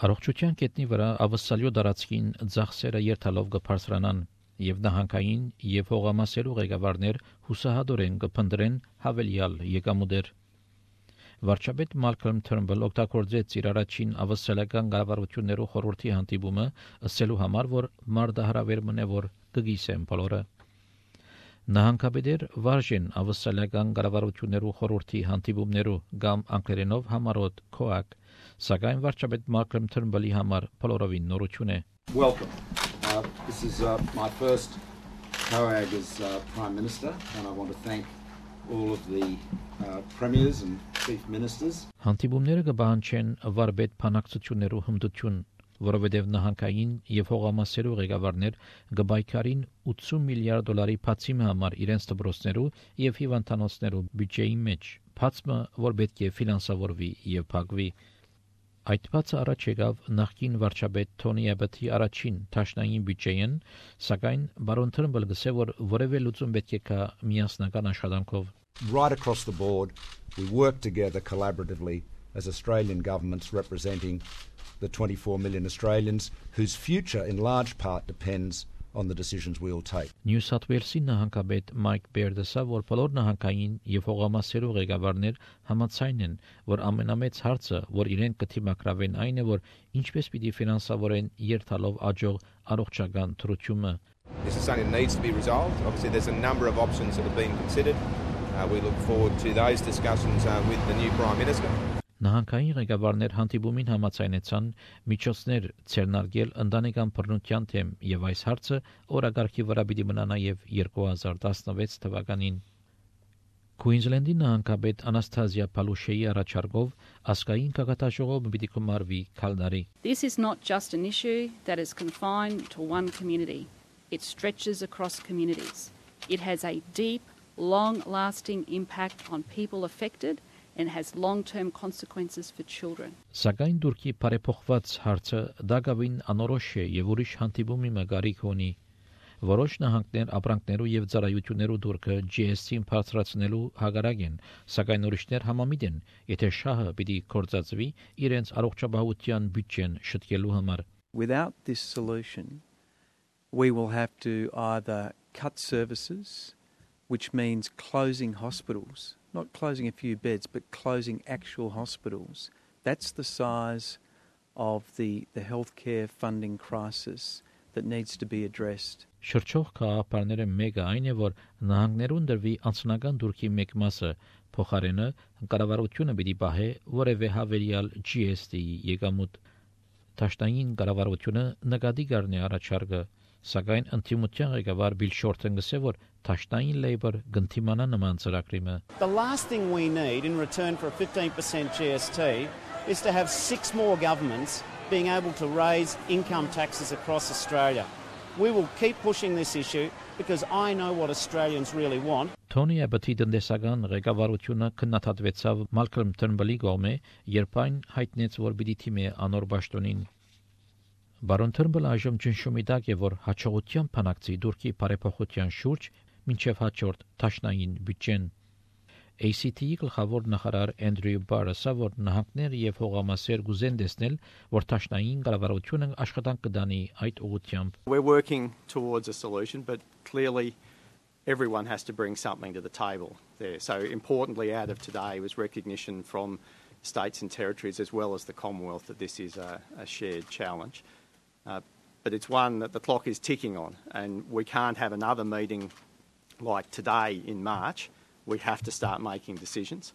Առողջության կետնի վրա ավսալյո դարածքին ծախսերը երթալով կբարձրանան եւ նահանգային եւ հողամասերու ղեկավարներ հուսահատորեն կփնտրեն հավելյալ եկամուտեր։ Վարչապետ Մալքոմ Թըրնբլ օգտագործեց իր առաջին ավսալական կառավարություններու խորհրդի հանդիպումը ասելու համար, որ մարդահրավեր մնե որ կգիսեն բոլորը։ Նահանգապետեր վարժեն ավսալական կառավարություններու խորհրդի հանդիպումներու կամ անգլերենով համարոտ COAC, սակայն վարչապետ Մալքոմ Թըրնբլի համար բոլորովին նորություն է։ Welcome. This is my first COAG as Prime Minister, and I want to thank all of the premiers and chief ministers. Հանդիպումները կբանջեն վարպետ բանակցություններու հմտություն, որովհետև նահանգային եւ հողամասերու ղեկավարներ կբայքարին 80 միլիարդ դոլարի բացիմի համար իրենց դպրոցներու եւ հիվանդանոցներու բյուջեի մեջ, բացմը, որ պետք է ֆինանսավորվի եւ փակվի։ Այդ բացը առաջ եկավ նախկին վարչապետ Թոնի Աբեթի առաջին տաշնային բյուջեին, սակայն բարոն Թըրնբլը գսե որ որևէ լուծում պետք է կա միասնական աշխատանքով։ Right across the board, we work together collaboratively as Australian governments representing the 24 million Australians whose future in large part depends on the decisions we all take. Նյու Սաթ Ուելսի նահանգապետ Մայք Բերդեսը, որ բոլոր նահանգային եւ հողամասերու ղեկավարներ համաձայն են, որ ամենամեծ հարցը, որ իրենք կթիմակրավեն, այն է, որ ինչպես պիտի ֆինանսավորեն երթալով աջող առողջական թրությունը։ This is something that needs to be resolved. Obviously, there's a number of options that have been considered. We look forward to those discussions with the new Prime Minister. Նահանգային ղեկավարներ հանդիպումին համաձայնեցան միջոցներ ցերնարգել ընտանեկան բռնության թեմ եւ այս հարցը օրագարկի վրա պիտի մնա նաեւ 2016 թվականին։ Քուինզլենդի նահանգապետ Անաստազիա Պալուշեի առաջարկով ասկային կակատաժողովը պիտի կմարվի քալդարի։ This is not just an issue that is confined to one community. It stretches across communities. It has a deep, long-lasting impact on people affected and has long-term consequences for children. Սակայն դուրքի բարեփոխված հարցը դակավին անորոշ է եւ ուրիշ հանդիպումի մագարիք ունի։ Որոշ նահանգներ ապրանքներու եւ ծառայություններու դուրքը GST-ին բարձրացնելու հագարակ են, սակայն ուրիշներ համամիտ են, եթե շահը պիտի կործածվի իրենց առողջապահության բյուջեն շտկելու համար։ Without this solution, we will have to either cut services, which means closing hospitals. Not closing a few beds, but closing actual hospitals. That's the size of the healthcare funding crisis that needs to be addressed. Շրջող քաղաքապարները մեկը այն է, որ նահանգներուն դրվի անձնական դուրքի մեկ մասը փոխարենը կառավարությունը պիտի պահե որևէ հավելյալ GST-ի եկամուտ։ Տաշտային կառավարությունը նկատի կառնի առաջարկը, սակայն ընդդիմության ղեկավար Բիլ Շորթեն գսե որ Տաշտային Labour գնթիմանա նման ծրագրիմը։ The last thing we need in return for a 15% GST is to have 6 more governments being able to raise income taxes across Australia. We will keep pushing this issue because I know what Australians really want. Թոնի Աբեթի տնտեսական ղեկավարությունը քննադատվեցավ Մալքոմ Թըրնբլի կողմէ, երբ այն հայտնեց, որ պիտի թիմի անոր պաշտոնին։ Բարոն Թըրնբլը այժմ ճնշումի տակ է, որ հաջողության փանակցի դուրքի բարեփոխության շուրջ մինչև հաջորդ տաշնային բյուջեն։ ACT-ի գլխավոր նախարար Անդրյու Բարսը, որ նահանգներ եւ հողամասեր գուզեն տեսնել, որ տաշնային կառավարությունը աշխատանք կդանի այդ ուղղությամբ։ We're working towards a solution, but clearly everyone has to bring something to the table there. So importantly out of today was recognition from states and territories as well as the Commonwealth that this is a shared challenge. But it's one that the clock is ticking on, and we can't have another meeting like today in March. We have to start making decisions.